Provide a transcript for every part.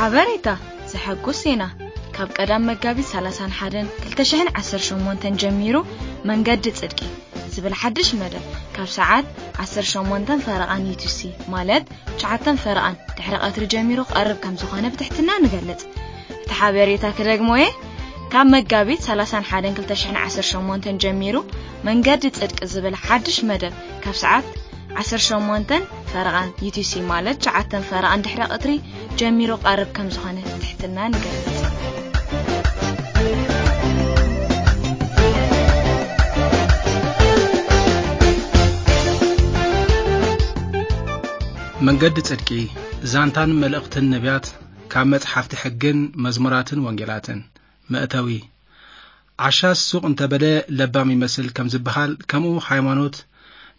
ሓበሬታ፣ ዘሐጉስ ዜና። ካብ ቀዳም መጋቢት ሰላሳን ሓደን ክልተ ሽሕን ዓሰርተ ሸሞንተን ጀሚሩ መንገዲ ጽድቂ ዝብል ሓድሽ መደብ ካብ ሰዓት ዓሰርተ ሸሞንተን ፈረቓን ዩቲሲ፣ ማለት ትሽዓተን ፈረቓን ድሕሪ ቀትሪ ጀሚሩ ክቐርብ ከም ዝኾነ ብትሕትና ንገልጽ። እቲ ሓበሬታ ክደግሞ እየ። ካብ መጋቢት ሰላሳን ሓደን ክልተ ሽሕን ዓሰርተ ሸሞንተን ጀሚሩ መንገዲ ጽድቂ ዝብል ሓድሽ መደብ ካብ ሰዓት ዓሰርተ ሸሞንተን ፈረቓን ዩቲሲ፣ ማለት ትሽዓተን ፈረቓን ድሕሪ ቀትሪ ጀሚሩ ቀርብ ከም ዝኾነ ትሕትና ንገልጽ። መንገዲ ጽድቂ፣ ዛንታን መልእኽትን ነቢያት ካብ መጽሓፍቲ ሕግን መዝሙራትን ወንጌላትን። መእተዊ። ዓሻስ ሱቕ እንተበለ ለባም ይመስል ከም ዝበሃል፣ ከምኡ ሃይማኖት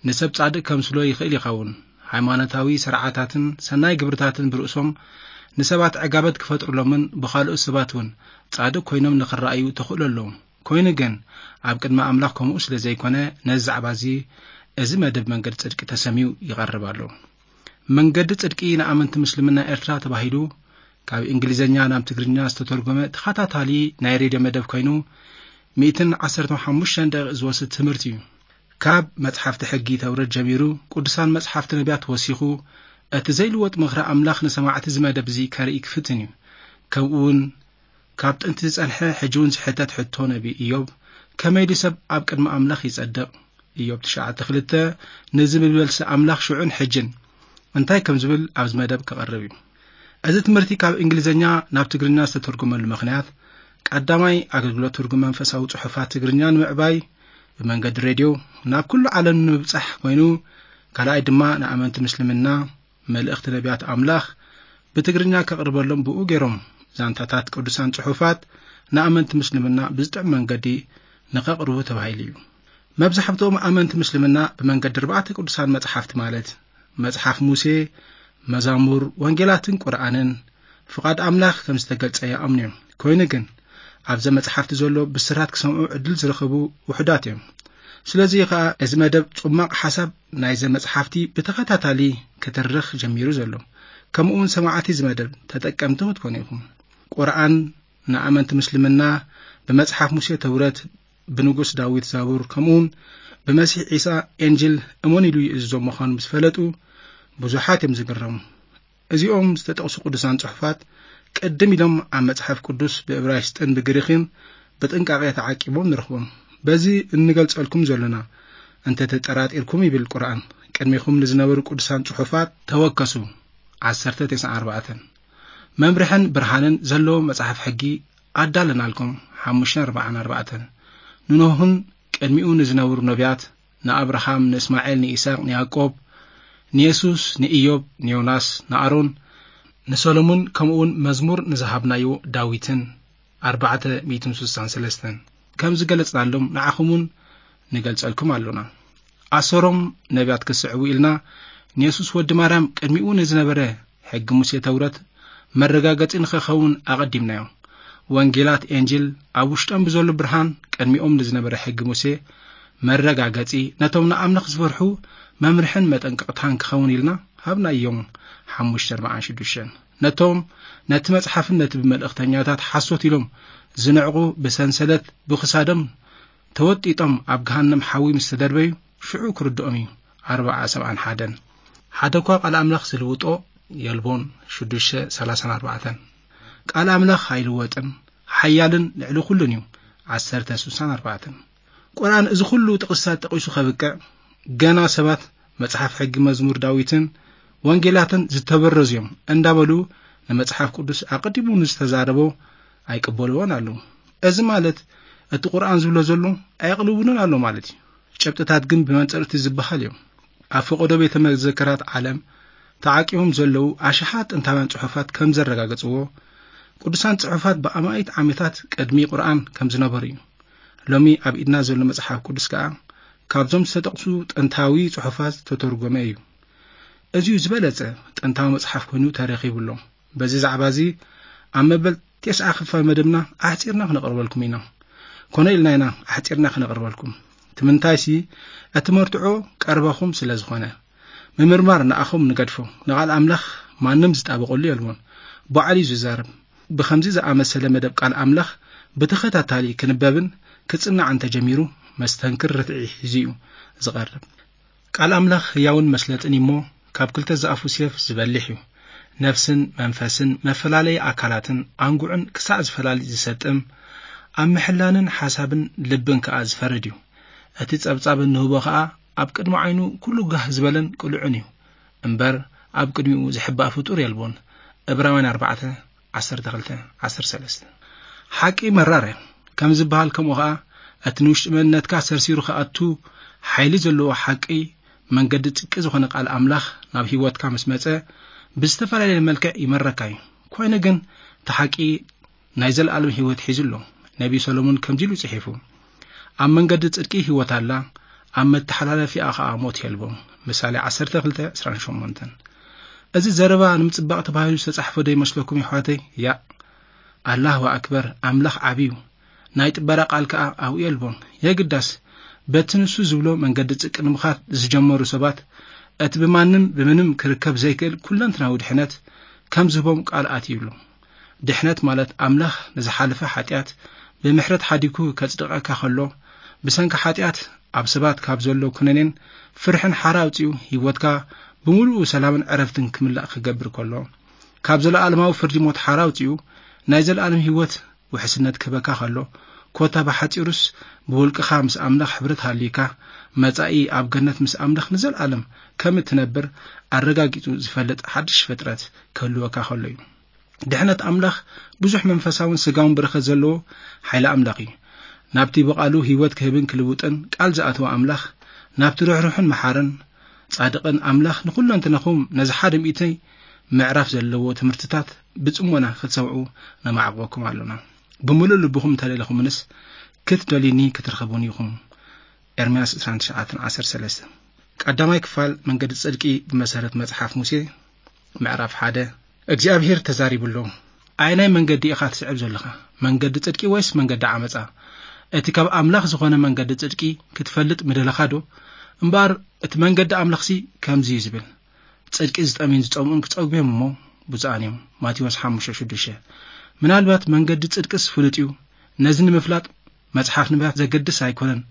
ንሰብ ጻድቕ ከምስሎ ይኽእል ይኸውን። ሃይማኖታዊ ስርዓታትን ሰናይ ግብርታትን ብርእሶም ንሰባት ዕጋበት ክፈጥሩሎምን ብኻልኦት ሰባት እውን ጻድቕ ኮይኖም ንኽረኣዩ ተኽእሎ ኣለዎም። ኮይኑ ግን ኣብ ቅድሚ ኣምላኽ ከምኡ ስለ ዘይኮነ፣ ነዚ ዛዕባ እዚ፣ እዚ መደብ መንገዲ ጽድቂ ተሰምዩ ይቐርብ ኣሎ። መንገዲ ጽድቂ ንኣመንቲ ምስልምና ኤርትራ ተባሂሉ ካብ እንግሊዝኛ ናብ ትግርኛ ዝተተርጎመ ተኸታታሊ ናይ ሬድዮ መደብ ኮይኑ፣ ሚእትን ዓሰርተ ሓሙሽተን ደቂቕ ዝወስድ ትምህርቲ እዩ። ካብ መጽሓፍቲ ሕጊ ተውረት ጀሚሩ፣ ቅዱሳን መጽሓፍቲ ነቢያት ወሲኹ፣ እቲ ዘይልወጥ ምኽሪ ኣምላኽ ንሰማዕቲ እዚ መደብ እዚ ከርኢ ክፍትን እዩ። ከምኡ እውን ካብ ጥንቲ ዝጸንሐ ሕጂ እውን ዝሕተት ሕቶ ነቢ ኢዮብ፣ ከመይ ድዩ ሰብ ኣብ ቅድሚ ኣምላኽ ይጸድቕ? ኢዮብ ትሽዓተ ክልተ፣ ነዚ ብመልሲ ኣምላኽ ሽዑን ሕጅን እንታይ ከም ዝብል ኣብዚ መደብ ክቐርብ እዩ። እዚ ትምህርቲ ካብ እንግሊዝኛ ናብ ትግርኛ ዝተተርጎመሉ ምኽንያት፣ ቀዳማይ ኣገልግሎት ትርጉም መንፈሳዊ ጽሑፋት ትግርኛ ንምዕባይ ብመንገዲ ሬድዮ ናብ ኩሉ ዓለም ንምብጻሕ ኮይኑ፣ ካልኣይ ድማ ንኣመንቲ ምስልምና መልእኽቲ ነቢያት ኣምላኽ ብትግርኛ ከቕርበሎም ብኡ ገይሮም ዛንታታት ቅዱሳን ጽሑፋት ንኣመንቲ ምስልምና ብዝጥዕም መንገዲ ንኸቕርቡ ተባሂሉ እዩ። መብዛሕትኦም ኣመንቲ ምስልምና ብመንገዲ ኣርባዕተ ቅዱሳን መጽሓፍቲ ማለት መጽሓፍ ሙሴ፣ መዛሙር፣ ወንጌላትን ቁርኣንን ፍቓድ ኣምላኽ ከም ዝተገልጸ ይኣምኑ እዮም። ኮይኑ ግን ኣብዘ መጽሓፍቲ ዘሎ ብስራት ክሰምዑ ዕድል ዝረኸቡ ውሑዳት እዮም። ስለዚ ከኣ እዚ መደብ ጽማቕ ሓሳብ ናይዘ መጽሓፍቲ ብተኸታታሊ ክትርኽ ጀሚሩ ዘሎ። ከምኡ እውን ሰማዕቲ እዚ መደብ ተጠቀምቲ ክትኮኑ ኢኹም። ቁርኣን ንኣመንቲ ምስልምና ብመጽሓፍ ሙሴ ተውረት፣ ብንጉስ ዳዊት ዛቡር፣ ከምኡ እውን ብመሲሕ ዒሳ ኤንጅል እመኑ ኢሉ ይእዝዞም ምዃኑ ምስ ፈለጡ ብዙሓት እዮም ዝግረሙ። እዚኦም ዝተጠቕሱ ቅዱሳን ጽሑፋት ቅድም ኢሎም ኣብ መጽሓፍ ቅዱስ ብእብራይስጥን ብግሪኽን ብጥንቃቄ ተዓቂቦም ንረኽቦም። በዚ እንገልጸልኩም ዘሎና እንተ ተጠራጢርኩም ይብል ቁርኣን፣ ቅድሚኹም ንዝነበሩ ቅዱሳን ጽሑፋት ተወከሱ። ዓሰርተ ተስዓን ኣርባዕተን። መምርሕን ብርሃንን ዘለዎ መጽሓፍ ሕጊ ኣዳለናልኩም። ሓሙሽተ ኣርባዓን ኣርባዕተን። ንኖህን ቅድሚኡ ንዝነበሩ ነቢያት፣ ንኣብርሃም፣ ንእስማኤል፣ ንይስሐቅ፣ ንያዕቆብ፣ ንየሱስ፣ ንኢዮብ፣ ንዮናስ፣ ንኣሮን፣ ንሰሎሞን፣ ከምኡውን መዝሙር ንዝሃብናዮ ዳዊትን ኣርባዕተ ሚእትን ስሳን ሰለስተን ከም ዝገለጽናሎም ንዓኹም እውን ንገልጸልኩም ኣሎና። ኣሰሮም ነቢያት ክስዕቡ ኢልና ንየሱስ ወዲ ማርያም ቅድሚኡ ንዝነበረ ሕጊ ሙሴ ተውረት መረጋገጺ ንኸኸውን ኣቐዲምናዮ። ወንጌላት ኤንጅል ኣብ ውሽጦም ብዘሎ ብርሃን ቅድሚኦም ንዝነበረ ሕጊ ሙሴ መረጋገጺ ነቶም ንኣምላኽ ዝፈርሑ መምርሕን መጠንቀቕታን ክኸውን ኢልና ሃብናዮም። ሓሙሽተ ኣርባዓን ሽዱሽተን። ነቶም ነቲ መጽሓፍን ነቲ ብመልእኽተኛታት ሓሶት ኢሎም ዝንዕቑ ብሰንሰለት ብኽሳዶም ተወጢጦም ኣብ ገሃነም ሓዊ ምስ ተደርበዩ ሽዑ ክርድኦም እዩ። ኣርብዓ ሰብዓን ሓደን። ሓደ እኳ ቃል ኣምላኽ ዝልውጦ የልቦን። ሽዱሽተ ሰላሳን ኣርባዕተን። ቃል ኣምላኽ ኣይልወጥን ሓያልን ልዕሊ ኩሉን እዩ። ዓሰርተ ስሳን ኣርባዕተን። ቁርኣን እዚ ኩሉ ጥቕስታት ጠቒሱ ከብቅዕ፣ ገና ሰባት መጽሓፍ ሕጊ መዝሙር ዳዊትን ወንጌላትን ዝተበረዙ እዮም እንዳበሉ ንመጽሓፍ ቅዱስ ኣቐዲሙ ንዝተዛረቦ ኣይቅበልዎን ኣለዉ። እዚ ማለት እቲ ቁርኣን ዝብሎ ዘሎ ኣየቕልውንን ኣሎ ማለት እዩ። ጨብጥታት ግን ብመንጽር እቲ ዝበሃል እዮም። ኣብ ፈቐዶ ቤተ መዘክራት ዓለም ተዓቂቦም ዘለዉ ኣሽሓት ጥንታውያን ጽሑፋት ከም ዘረጋገጽዎ፣ ቅዱሳን ጽሑፋት ብኣማኢት ዓመታት ቅድሚ ቁርኣን ከም ዝነበሩ እዩ። ሎሚ ኣብ ኢድና ዘሎ መጽሓፍ ቅዱስ ከኣ ካብዞም ዝተጠቕሱ ጥንታዊ ጽሑፋት ዝተተርጎመ እዩ። እዚዩ ዝበለጸ ጥንታዊ መጽሓፍ ኮይኑ ተረኺቡ ኣሎ። በዚ ዛዕባ እዚ ኣብ መበል ተስዓ ክፋል መደብና ኣሕጺርና ክነቕርበልኩም ኢና። ኮነ ኢልና ኢና ኣሕጺርና ክነቕርበልኩም። እቲ ምንታይሲ እቲ መርትዖ ቀረባኹም ስለ ዝኾነ። ምምርማር ንኣኹም ንገድፎ፣ ንቓል ኣምላኽ ማንም ዝጣበቐሉ የልቦን። ባዕሉ እዩ ዝዛረብ። ብኸምዚ ዝኣመሰለ መደብ ቃል ኣምላኽ ብተኸታታሊ ክንበብን ክጽናዕን ተጀሚሩ፣ መስተንክር ርትዒ ሒዙ እዩ ዝቐርብ። ቃል ኣምላኽ ህያውን መስለጥን እዩ እሞ፣ ካብ ክልተ ዝኣፉ ሴፍ ዝበልሕ እዩ። ነፍስን መንፈስን፣ መፈላለዪ ኣካላትን ኣንጉዕን ክሳዕ ዝፈላሊ ዝሰጥም፣ ኣብ ምሕላንን ሓሳብን ልብን ከኣ ዝፈርድ እዩ። እቲ ጸብጻብ እንህቦ ከኣ ኣብ ቅድሚ ዓይኑ ኩሉ ጋህ ዝበለን ቅሉዕን እዩ። እምበር ኣብ ቅድሚኡ ዝሕባእ ፍጡር የልቦን። ዕብራውያን ኣርባዕተ፣ ዓሰርተ ክልተ፣ ዓሰርተ ሰለስተ። ሓቂ መራር እያ። ከም ዝበሃል ከምኡ ኸኣ፣ እቲ ንውሽጢ መንነትካ ሰርሲሩ ክኣቱ ሓይሊ ዘለዎ ሓቂ፣ መንገዲ ጽድቂ ዝኾነ ቃል ኣምላኽ ናብ ህይወትካ ምስ መጸ፣ ብዝተፈላለየ መልክዕ ይመረካ እዩ። ኮይኑ ግን፣ እቲ ሓቂ ናይ ዘለኣለም ህይወት ሒዙ ኣሎ። ነቢ ሰሎሞን ከምዚ ኢሉ ጽሒፉ፣ "ኣብ መንገዲ ጽድቂ ህይወት ኣላ፣ ኣብ መተሓላለፊኣ ኸኣ ሞት የልቦ።" ምሳሌ ዓሰርተ ክልተ፣ ዕስራን ሸሞንተን። እዚ ዘረባ ንምጽባቕ ተባሂሉ ዝተጻሕፈ ዶ ይመስለኩም የሕዋተይ? ያእ። ኣላሁ ኣክበር፣ ኣምላኽ ዓቢ እዩ። ናይ ጥበራ ቃል ከኣ ኣብኡ የልቦን። የግዳስ፣ በቲ ንሱ ዝብሎ መንገዲ ጽድቂ ንምኻድ ዝጀመሩ ሰባት፣ እቲ ብማንም ብምንም ክርከብ ዘይክእል ኩለንትናዊ ድሕነት ከም ዝህቦም ቃል ኣትዩሉ። ድሕነት ማለት ኣምላኽ ንዝሓለፈ ሓጢኣት ብምሕረት ሓዲጉ ከጽድቐካ ከሎ፣ ብሰንኪ ሓጢኣት ኣብ ሰባት ካብ ዘሎ ኩነኔን ፍርሕን ሓራ ኣውጺኡ ህይወትካ ብምሉኡ ሰላምን ዕረፍትን ክምላእ ክገብር ከሎ፣ ካብ ዘለኣለማዊ ፍርዲ ሞት ሓራ ኣውጺኡ ናይ ዘለኣለም ህይወት ውሕስነት ክህበካ ከሎ፣ ኮታ ብሓጺሩስ ብውልቅኻ ምስ ኣምላኽ ሕብረት ሃልዩካ፣ መጻኢ ኣብ ገነት ምስ ኣምላኽ ንዘለኣለም ከም እትነብር ኣረጋጊጹ ዝፈልጥ ሓድሽ ፍጥረት ክህልወካ ከሎ እዩ። ድሕነት ኣምላኽ ብዙሕ መንፈሳውን ስጋውን በረኸት ዘለዎ ሓይሊ ኣምላኽ እዩ። ናብቲ ብቓሉ ህይወት ክህብን ክልውጥን ቃል ዝኣተወ ኣምላኽ፣ ናብቲ ርሕሩሕን መሓርን ጻድቕን ኣምላኽ ንኹለንትናኹም ነዚ ሓደ ሚእቲ ምዕራፍ ዘለዎ ትምህርትታት ብጽሞና ክትሰምዑ ነማዕቕበኩም ኣሎና። ብምሉእ ልብኹም እንተደለኹምንስ ክትደልዩኒ ክትረኽቡኒ ኢኹም። ኤርምያስ ዕስራን ትሽዓተን፣ ዓሰርተ ሰለስተ። ቀዳማይ ክፋል መንገዲ ጽድቂ ብመሰረት መጽሓፍ ሙሴ ምዕራፍ ሓደ። እግዚኣብሄር ተዛሪቡ ኣሎ። ኣየናይ መንገዲ ኢኻ ትስዕብ ዘለኻ? መንገዲ ጽድቂ ወይስ መንገዲ ዓመጻ? እቲ ካብ ኣምላኽ ዝኾነ መንገዲ ጽድቂ ክትፈልጥ ምደለኻ ዶ? እምበኣር እቲ መንገዲ ኣምላኽሲ ከምዚ እዩ ዝብል፣ "ጽድቂ ዝጠምዩን ዝጸምኡን ክጸግቡ እዮም እሞ ብፁዓን እዮም።" ማቴዎስ ሓሙሽተ ሽዱሽተ። ምናልባት መንገዲ ጽድቅስ ፍሉጥ እዩ፣ ነዚ ንምፍላጥ መጽሓፍ ነቢያት ዘገድስ ኣይኮነን፣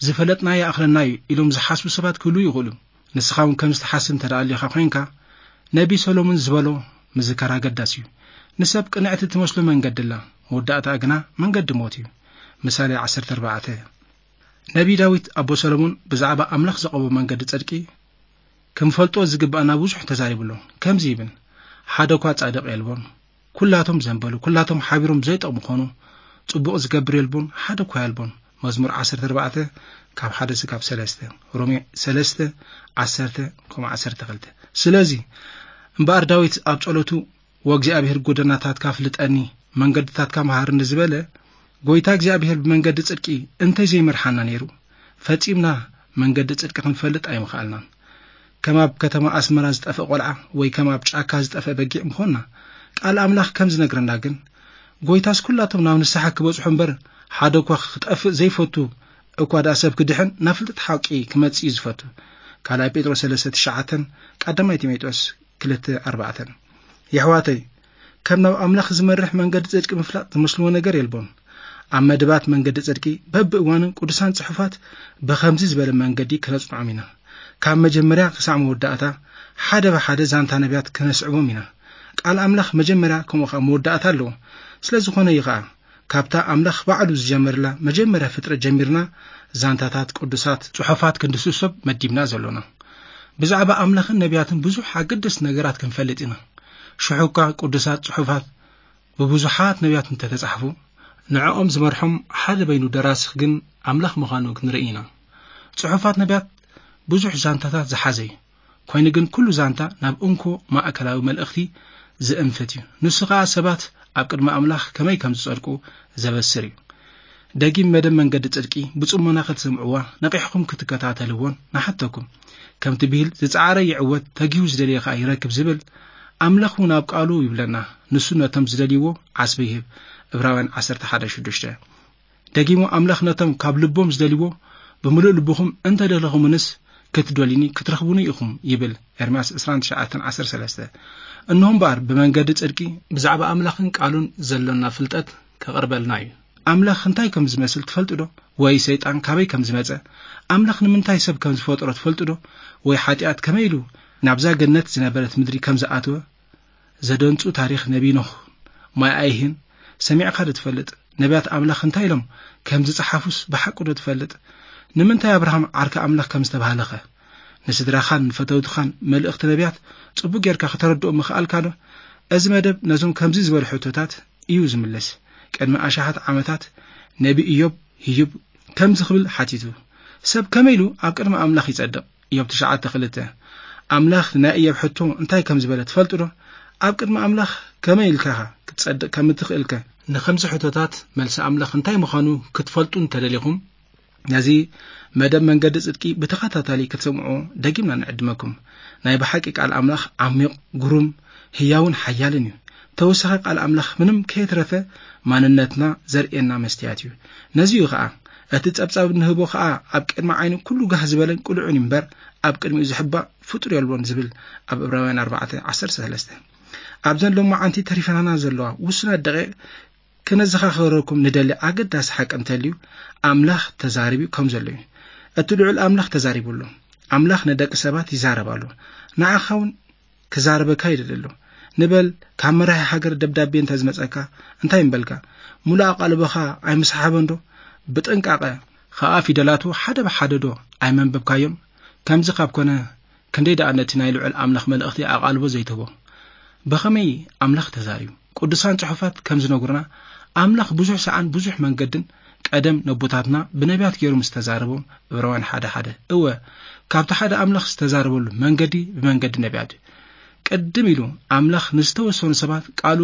"ዝፈለጥና ይኣኽለና እዩ" ኢሎም ዝሓስቡ ሰባት ክህልዉ ይኽእሉ። ንስኻ እውን ከምዚ ትሓስብ እንተ ደኣ ኣሊኻ ኮይንካ፣ ነቢ ሰሎሞን ዝበሎ ምዝካር ኣገዳሲ እዩ። "ንሰብ ቅንዕቲ ትመስሎ መንገዲ ኣላ፣ መወዳእታኣ ግና መንገዲ ሞት እዩ።" ምሳሌ ዓሰርተ ኣርባዕተ። ነቢ ዳዊት ኣቦ ሰሎሞን ብዛዕባ ኣምላኽ ዘቐቦ መንገዲ ጽድቂ ክንፈልጦ ዝግባኣና ብዙሕ ተዛሪቡ ኣሎ። ከምዚ ይብል፣ "ሓደ እኳ ጻድቕ የልቦን፣ ኩላቶም ዘንበሉ፣ ኩላቶም ሓቢሮም ዘይጠቕሙ ኾኑ፣ ጽቡቕ ዝገብር የልቦን፣ ሓደ እኳ የልቦን።" መዝሙር ዓሰርተ ኣርባዕተ ካብ ሓደ ስጋብ ሰለስተ፣ ሮሜ ሰለስተ፣ ዓሰርተ ከምኡ ዓሰርተ ክልተ። ስለዚ እምበኣር ዳዊት ኣብ ጸሎቱ፣ "ወእግዚኣብሔር ጎደናታትካ ፍልጠኒ፣ መንገድታትካ መሃርኒ" ዝበለ፣ ጎይታ እግዚኣብሔር ብመንገዲ ጽድቂ እንተይ ዘይመርሓና ነይሩ፣ ፈጺምና መንገዲ ጽድቂ ክንፈልጥ ኣይምኸኣልናን። ከም ኣብ ከተማ ኣስመራ ዝጠፍእ ቆልዓ ወይ ከም ኣብ ጫካ ዝጠፍእ በጊዕ ምኾንና። ቃል ኣምላኽ ከም ዝነግረና ግን፣ ጎይታስ ኩላቶም ናብ ንስሓ ክበጽሑ እምበር፣ ሓደ እኳ ክጠፍእ ዘይፈቱ፣ እኳ ደኣ ሰብ ክድሕን ናብ ፍልጠት ሓቂ ክመጽእ እዩ ዝፈቱ። ካልኣይ ጴጥሮስ ሰለስተ ትሽዓተን ቀዳማይ ጢሞቴዎስ ክልተ ኣርባዕተን። የሕዋተይ፣ ከም ናብ ኣምላኽ ዝመርሕ መንገዲ ጽድቂ ምፍላጥ ዝመስልዎ ነገር የልቦን። ኣብ መደባት መንገዲ ጽድቂ በብእዋኑ ቅዱሳን ጽሑፋት ብኸምዚ ዝበለ መንገዲ ክነጽንዖም ኢና። ካብ መጀመርያ ክሳዕ መወዳእታ ሓደ ብሓደ ዛንታ ነቢያት ክነስዕቦም ኢና። ቃል ኣምላኽ መጀመርያ ከምኡ ኸኣ መወዳእታ ኣለዎ። ስለ ዝኾነ እዩ ኸኣ ካብታ ኣምላኽ ባዕሉ ዝጀመርላ መጀመርያ ፍጥረት ጀሚርና ዛንታታት ቅዱሳት ጽሑፋት ክንድስሶም መዲብና ዘሎና። ብዛዕባ ኣምላኽን ነቢያትን ብዙሕ ኣገደስቲ ነገራት ክንፈልጥ ኢና። ሽሑ እኳ ቅዱሳት ጽሑፋት ብብዙሓት ነቢያት እንተተጻሕፉ፣ ንዕኦም ዝመርሖም ሓደ በይኑ ደራሲ ግን ኣምላኽ ምዃኑ ክንርኢ ኢና። ጽሑፋት ነቢያት ብዙሕ ዛንታታት ዝሓዘ እዩ። ኮይኑ ግን ኩሉ ዛንታ ናብ እንኮ ማእከላዊ መልእኽቲ ዝእንፍት እዩ። ንሱ ኸኣ ሰባት ኣብ ቅድሚ ኣምላኽ ከመይ ከም ዝጸድቁ ዘበስር እዩ። ደጊም መደብ መንገዲ ጽድቂ ብጽሞና ክትሰምዕዋ፣ ነቒሕኩም ክትከታተልዎን ንሓተኩም። ከምቲ ብሂል፣ "ዝጸዓረ ይዕወት፣ ተጊሁ ዝደልየ ኸኣ ይረክብ" ዝብል፣ ኣምላኽ እውን ኣብ ቃሉ ይብለና፣ "ንሱ ነቶም ዝደልይዎ ዓስቢ ይህብ።" ዕብራውያን ዓሰርተ ሓደ ሽዱሽተ። ደጊሙ ኣምላኽ ነቶም ካብ ልቦም ዝደልይዎ፣ "ብምሉእ ልብኹም እንተ ደለኹምንስ ክትደልዩኒ ክትረኽቡኒ ኢኹም" ይብል፣ ኤርምያስ ዕስራን ትሽዓተን ዓሰርተ ሰለስተ። እንሆ እምበኣር ብመንገዲ ጽድቂ ብዛዕባ ኣምላኽን ቃሉን ዘሎና ፍልጠት ከቕርበልና እዩ። ኣምላኽ እንታይ ከም ዝመስል ትፈልጡ ዶ? ወይ ሰይጣን ካበይ ከም ዝመጸ? ኣምላኽ ንምንታይ ሰብ ከም ዝፈጥሮ ትፈልጡ ዶ? ወይ ሓጢኣት ከመይ ኢሉ ናብዛ ገነት ዝነበረት ምድሪ ከም ዝኣተወ ዘደንጹ ታሪኽ ነቢይ ኖህ ማይ ኣይህን ሰሚዕካ ዶ ትፈልጥ? ነቢያት ኣምላኽ እንታይ ኢሎም ከም ዝጸሓፉስ ብሓቂ ዶ ትፈልጥ? ንምንታይ ኣብርሃም ዓርኪ ኣምላኽ ከም ዝተባህለኸ? ንስድራኻን ንፈተውትኻን መልእኽቲ ነቢያት ጽቡቕ ጌርካ ከተረድኦም ምኽኣልካ ዶ? እዚ መደብ ነዞም ከምዚ ዝበሉ ሕቶታት እዩ ዝምልስ። ቅድሚ ኣሽሓት ዓመታት ነቢ ኢዮብ ህዩብ ከምዚ ክብል ሓቲቱ፣ ሰብ ከመይ ኢሉ ኣብ ቅድሚ ኣምላኽ ይጸድቕ? ኢዮብ ትሽዓተ ክልተ። ኣምላኽ ንናይ ኢዮብ ሕቶ እንታይ ከም ዝበለ ትፈልጡ ዶ? ኣብ ቅድሚ ኣምላኽ ከመይ ኢልካ ክትጸድቕ ከም እትኽእልከ? ንኸምዚ ሕቶታት መልሲ ኣምላኽ እንታይ ምዃኑ ክትፈልጡ እንተደሊኹም፣ ነዚ መደብ መንገዲ ጽድቂ ብተኸታታሊ ክትሰምዑ ደጊምና ንዕድመኩም። ናይ ብሓቂ ቃል ኣምላኽ ዓሚቕ፣ ግሩም፣ ህያውን ሓያልን እዩ። ተወሳኺ ቃል ኣምላኽ ምንም ከየትረፈ ማንነትና ዘርእየና መስትያት እዩ። ነዚ እዩ ኸኣ እቲ ጸብጻብ እንህቦ ኸኣ ኣብ ቅድሚ ዓይኒ ኩሉ ጋህ ዝበለን ቅሉዕን እዩ እምበር፣ ኣብ ቅድሚኡ ዝሕባእ ፍጡር የልቦን ዝብል ኣብ ዕብራውያን ኣርባዕተ ዓሰርተ ሰለስተ። ኣብዘን ሎማዓንቲ ተሪፈናና ዘለዋ ውሱናት ደቂቕ ክነዘኻኽረኩም ንደሊ ኣገዳሲ ሓቂ እንተልዩ፣ ኣምላኽ ተዛሪቡ ከም ዘሎ እዩ። እቲ ልዑል ኣምላኽ ተዛሪቡ ኣሎ። ኣምላኽ ንደቂ ሰባት ይዛረብ ኣሎ። ንዓኻ እውን ክዛረበካ ይደሊ ኣሎ። ንበል፣ ካብ መራሒ ሃገር ደብዳቤ እንተ ዝመጸካ እንታይ ምበልካ? ሙሉእ ኣቓልቦኻ ኣይምሰሓቦን ዶ? ብጥንቃቐ ኸኣ ፊደላቱ ሓደ ብሓደ ዶ ኣይመንበብካዮን? ከምዚ ካብ ኮነ፣ ክንደይ ደኣ ነቲ ናይ ልዑል ኣምላኽ መልእኽቲ ኣቓልቦ ዘይትህቦ? ብኸመይ ኣምላኽ ተዛሪቡ? ቅዱሳን ጽሑፋት ከም ዝነግሩና፣ ኣምላኽ ብዙሕ ሰዓን ብዙሕ መንገድን ቀደም ነቦታትና ብነቢያት ገይሩ ምስ ተዛረቦም፣ ዕብራውያን ሓደ ሓደ። እወ፣ ካብቲ ሓደ ኣምላኽ ዝተዛረበሉ መንገዲ ብመንገዲ ነቢያት እዩ። ቅድም ኢሉ ኣምላኽ ንዝተወሰኑ ሰባት ቃሉ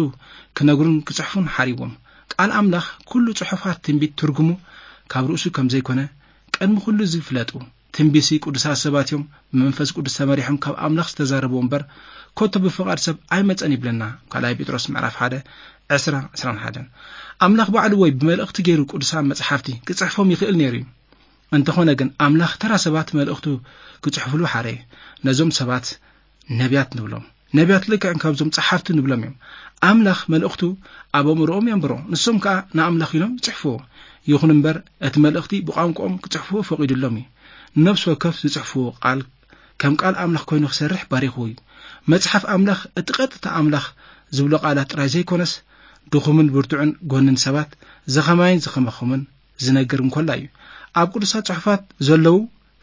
ክነግሩን ክጽሕፉን ሓሪዎም። ቃል ኣምላኽ ኩሉ ጽሑፋት ትንቢት ትርጉሙ ካብ ርእሱ ከም ዘይኮነ ቅድሚ ኩሉ ዝፍለጡ። ትንቢሲ ቅዱሳት ሰባት እዮም ብመንፈስ ቅዱስ ተመሪሖም ካብ ኣምላኽ ዝተዛረብዎ እምበር፣ ኮቶ ብፍቓድ ሰብ ኣይመጸን ይብለና ካልኣይ ጴጥሮስ ምዕራፍ ሓደ ዕስራ ዕስራን ሓደን። ኣምላኽ ባዕሉ ወይ ብመልእኽቲ ገይሩ ቅዱሳን መጽሓፍቲ ክጽሕፎም ይኽእል ነይሩ እዩ። እንተኾነ ግን ኣምላኽ ተራ ሰባት መልእኽቱ ክጽሕፍሉ ሓረየ። ነዞም ሰባት ነቢያት ንብሎም። ነቢያት ልክዕ ከምዞም ጸሓፍቲ ንብሎም እዮም። ኣምላኽ መልእኽቱ ኣብ ኣእምሮኦም የንብሮ፣ ንሶም ከኣ ንኣምላኽ ኢሎም ይጽሕፍዎ። ይኹን እምበር እቲ መልእኽቲ ብቋንቋኦም ክጽሕፍዎ ፈቒዱሎም እዩ። ንነፍሲ ወከፍ ዝጽሕፍዎ ቃል ከም ቃል ኣምላኽ ኮይኑ ክሰርሕ ባሪኽዎ እዩ። መጽሓፍ ኣምላኽ እቲ ቀጥታ ኣምላኽ ዝብሎ ቃላት ጥራይ ዘይኮነስ፣ ድኹምን ብርቱዕን ጎንን ሰባት ዝኸማይን ዝኸመኹምን ዝነግር እንኮላ እዩ። ኣብ ቅዱሳት ጽሑፋት ዘለዉ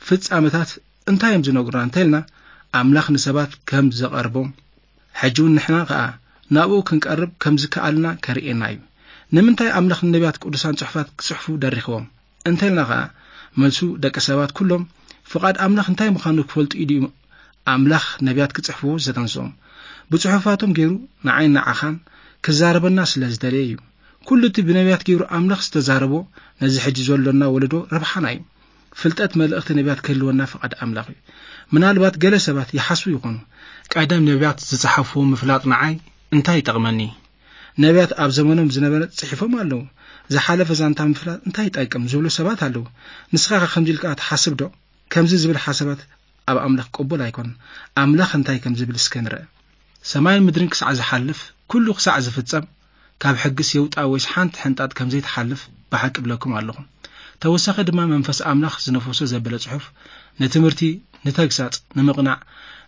ፍጻመታት እንታይ እዮም ዝነግሩና እንተልና፣ ኣምላኽ ንሰባት ከም ዘቐርቦም፣ ሕጂ እውን ንሕና ኸኣ ናብኡ ክንቀርብ ከም ዝከኣልና ከርእየና እዩ። ንምንታይ ኣምላኽ ንነቢያት ቅዱሳን ጽሑፋት ክጽሕፉ ደሪኽዎም እንተልና ኸኣ፣ መልሱ ደቂ ሰባት ኩሎም ፍቓድ ኣምላኽ እንታይ ምዃኑ ክፈልጡ ኢሉ እዩ ኣምላኽ ነቢያት ክጽሕፍዎ ዘተንስኦም። ብጽሑፋቶም ገይሩ ንዓይን ንዓኻን ክዛረበና ስለ ዝደለየ እዩ። ኩሉ እቲ ብነቢያት ገይሩ ኣምላኽ ዝተዛረቦ ነዚ ሕጂ ዘሎና ወለዶ ረብሓና እዩ። ፍልጠት መልእኽቲ ነቢያት ክህልወና ፍቓድ ኣምላኽ እዩ። ምናልባት ገለ ሰባት ይሓስቡ ይኾኑ፣ ቀደም ነቢያት ዝጸሓፍዎ ምፍላጥ ንዓይ እንታይ ይጠቕመኒ? ነቢያት ኣብ ዘመኖም ዝነበረ ጽሒፎም ኣለዉ። ዝሓለፈ ዛንታ ምፍላጥ እንታይ ይጠቅም ዝብሉ ሰባት ኣለዉ። ንስኻ ከ ከምዚ ኢልካ ትሓስብ ዶ? ከምዚ ዝብል ሓሳባት ኣብ ኣምላኽ ቅቡል ኣይኮነን። ኣምላኽ እንታይ ከም ዝብል እስከ ንርአ። ሰማይን ምድርን ክሳዕ ዝሓልፍ፣ ኩሉ ክሳዕ ዝፍጸም፣ ካብ ሕግስ የውጣ ወይስ ሓንቲ ሕንጣጥ ከም ዘይትሓልፍ ብሓቂ እብለኩም ኣለኹ። ተወሳኺ ድማ መንፈስ ኣምላኽ ዝነፈሶ ዘበለ ጽሑፍ ንትምህርቲ፣ ንተግሳጽ፣ ንምቕናዕ፣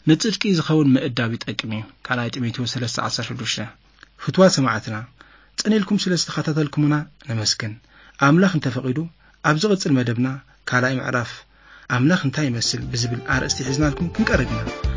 ንጽድቂ ዝኸውን ምእዳብ ይጠቅም እዩ። ካልኣይ ጢሞቴዎስ ሰለስተ ዓሰርተ ሽዱሽተ። ፍትዋት ሰማዕትና፣ ጽን ኢልኩም ስለ ዝተኸታተልኩምና ነመስግን። ኣምላኽ እንተፈቒዱ፣ ኣብ ዝቕጽል መደብና ካልኣይ ምዕራፍ ኣምላኽ እንታይ ይመስል ብዝብል ኣርእስቲ ሒዝናልኩም ክንቀርብ ኢና።